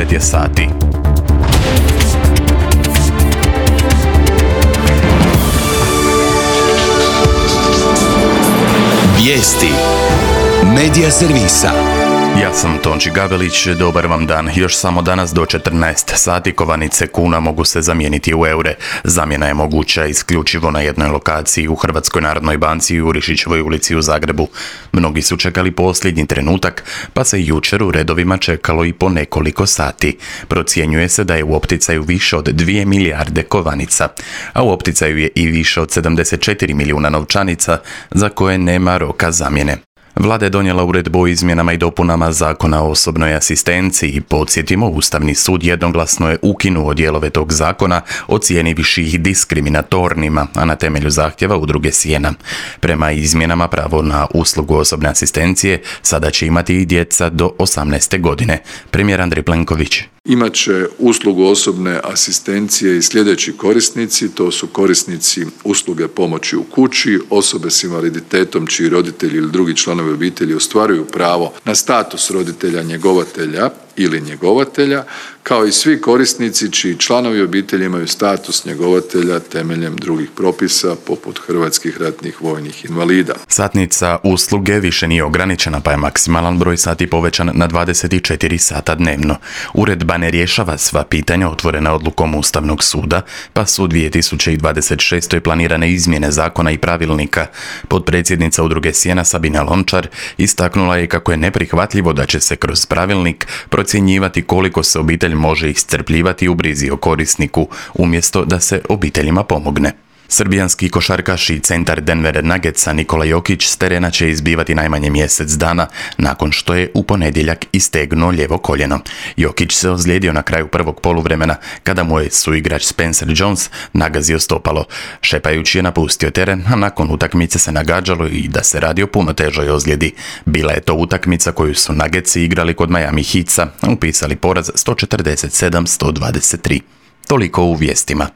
9 je sati. Vijesti Medija servisa. Ja sam Tonči Gabelić, dobar vam dan. Još samo danas do 14 sati kovanice kuna mogu se zamijeniti u eure. Zamjena je moguća isključivo na jednoj lokaciji u Hrvatskoj narodnoj banci u Urišićevoj ulici u Zagrebu. Mnogi su čekali posljednji trenutak, pa se jučer u redovima čekalo i po nekoliko sati. Procjenjuje se da je u opticaju više od 2 milijarde kovanica, a u opticaju je i više od 74 milijuna novčanica za koje nema roka zamjene. Vlada je donijela uredbu o izmjenama i dopunama Zakona o osobnoj asistenciji. Podsjetimo, Ustavni sud jednoglasno je ukinuo dijelove tog zakona, ocijenivši ih diskriminatornima, a na temelju zahtjeva Udruge Sjena. Prema izmjenama pravo na uslugu osobne asistencije sada će imati i djeca do 18. godine. Premijer Andrej Plenković. Imaće uslugu osobne asistencije i sljedeći korisnici, to su korisnici usluge pomoći u kući, osobe s invaliditetom čiji roditelji ili drugi članovi obitelji ostvaruju pravo na status roditelja njegovatelja ili njegovatelja, kao i svi korisnici čiji članovi obitelji imaju status njegovatelja temeljem drugih propisa poput hrvatskih ratnih vojnih invalida. Satnica usluge više nije ograničena, pa je maksimalan broj sati povećan na 24 sata dnevno. Uredba ne rješava sva pitanja otvorena odlukom Ustavnog suda, pa su 2026. planirane izmjene zakona i pravilnika. Potpredsjednica Udruge Sjena Sabina Lončar istaknula je kako je neprihvatljivo da će se kroz pravilnik procjenjivati koliko se obitelj može iscrpljivati u brizi o korisniku, umjesto da se obiteljima pomogne. Srbijanski košarkaš i centar Denver Nuggetsa Nikola Jokić s terena će izbivati najmanje mjesec dana nakon što je u ponedjeljak istegnuo lijevo koljeno. Jokić se ozlijedio na kraju prvog poluvremena kada mu je suigrač Spencer Jones nagazio stopalo. Šepajući je napustio teren, a nakon utakmice se nagađalo i da se radi o puno težoj ozljedi. Bila je to utakmica koju su Nuggetsi igrali kod Miami Heatsa, upisali poraz 147-123. Toliko u vijestima.